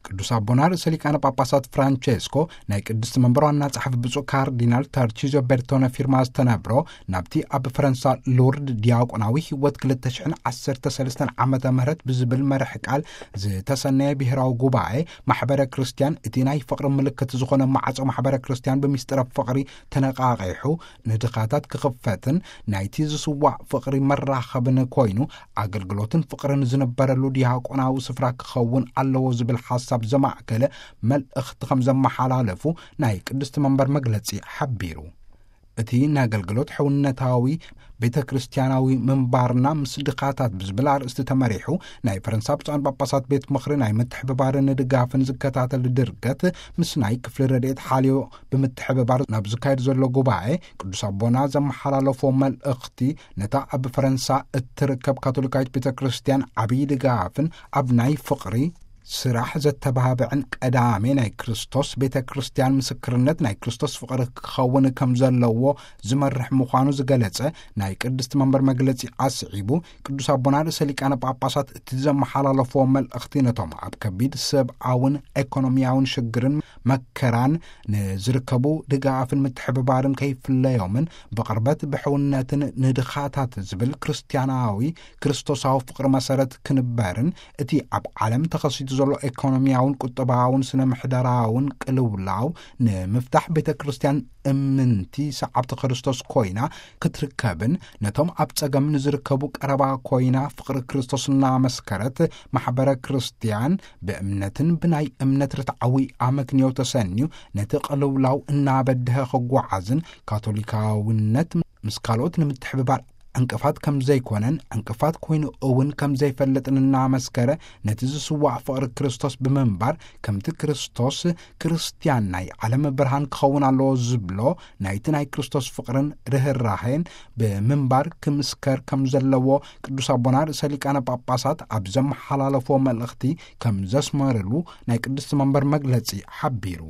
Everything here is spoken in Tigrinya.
ቅዱስ ኣቦና ርእሰ ሊቃነ ጳጳሳት ፍራንቼስኮ ናይ ቅድስቲ መንበር ዋና ጸሓፊ ብፁዕ ካርዲናል ተርቺዞ ቤርቶነ ፊርማ ዝተነብሮ፣ ናብቲ ኣብ ፈረንሳ ሉርድ ዲያቆናዊ ህይወት ክልተ ሽሕን ዓሰርተ ሰለስተን ዓመተ ምህረት ብዝብል መርሕ ቃል ዝተሰነየ ብሔራዊ ጉባኤ፣ ማሕበረ ክርስቲያን እቲ ናይ ፍቕሪ ምልክት ዝኾነ ማዕጾ ማሕበረ ክርስቲያን ብምስጢረ ፍቕሪ ተነቃቂሑ ንድኻታት ክኽፈትን ናይቲ ዝስዋዕ ፍቕሪ መራኸብን ኮይኑ፣ ኣገልግሎትን ፍቕርን ዝነበረሉ ዲያቆናዊ ስፍራ ክኸውን ኣለዎ ዝብል ሓሳብ ዘማእከለ መልእኽቲ ከም ዘመሓላለፉ ናይ ቅድስቲ መንበር መግለጺ ሓቢሩ። እቲ ናይ ኣገልግሎት ሕውነታዊ ቤተ ክርስቲያናዊ ምንባርና ምስ ድኻታት ብዝብል ኣርእስቲ ተመሪሑ፣ ናይ ፈረንሳ ብፁዓን ጳጳሳት ቤት ምኽሪ ናይ ምትሕብባርን ድጋፍን ዝከታተል ድርገት ምስ ናይ ክፍሊ ረድኤት ሓልዮ ብምትሕብባር ናብ ዝካየድ ዘሎ ጉባኤ፣ ቅዱስ ኣቦና ዘመሓላለፎ መልእኽቲ ነታ ኣብ ፈረንሳ እትርከብ ካቶሊካዊት ቤተ ክርስቲያን ዓብዪ ድጋፍን ኣብ ናይ ፍቕሪ ስራሕ ዘተባብዕን ቀዳሜ ናይ ክርስቶስ ቤተ ክርስቲያን ምስክርነት ናይ ክርስቶስ ፍቕሪ ክኸውን ከም ዘለዎ ዝመርሕ ምዃኑ ዝገለጸ ናይ ቅድስቲ መንበር መግለጺ ኣስዒቡ፣ ቅዱስ ኣቦና ርእሰ ሊቃነ ጳጳሳት እቲ ዘመሓላለፎ መልእኽቲ ነቶም ኣብ ከቢድ ሰብኣውን ኤኮኖሚያውን ሽግርን መከራን ንዝርከቡ ድጋፍን ምትሕብባርን ከይፍለዮምን ብቕርበት ብሕውነትን ንድኻታት ዝብል ክርስቲያናዊ ክርስቶሳዊ ፍቕሪ መሰረት ክንበርን እቲ ኣብ ዓለም ተኸሲቱ ዘሎ ኤኮኖሚያውን ቁጠባውን ስነ ምሕደራውን ቅልውላው ንምፍታሕ ቤተ ክርስቲያን እምንቲ ሰዓብቲ ክርስቶስ ኮይና ክትርከብን ነቶም ኣብ ጸገም ንዝርከቡ ቀረባ ኮይና ፍቕሪ ክርስቶስ እናመስከረት ማሕበረ ክርስቲያን ብእምነትን ብናይ እምነት ርትዓዊ ኣመክንዮ ተሰንዩ ነቲ ቅልውላው እናበድሀ ክጓዓዝን ካቶሊካውነት ምስ ካልኦት ንምትሕብባር ዕንቅፋት ከም ዘይኮነን ዕንቅፋት ኮይኑ እውን ከም ዘይፈልጥን እናመስከረ ነቲ ዝስዋዕ ፍቕሪ ክርስቶስ ብምንባር ከምቲ ክርስቶስ ክርስቲያን ናይ ዓለም ብርሃን ክኸውን ኣለዎ ዝብሎ ናይቲ ናይ ክርስቶስ ፍቕርን ርህራሄን ብምንባር ክምስከር ከም ዘለዎ ቅዱስ ኣቦና ርእሰ ሊቃነ ጳጳሳት ኣብ ዘመሓላለፎ መልእኽቲ ከም ዘስመርሉ ናይ ቅድስቲ መንበር መግለጺ ሓቢሩ።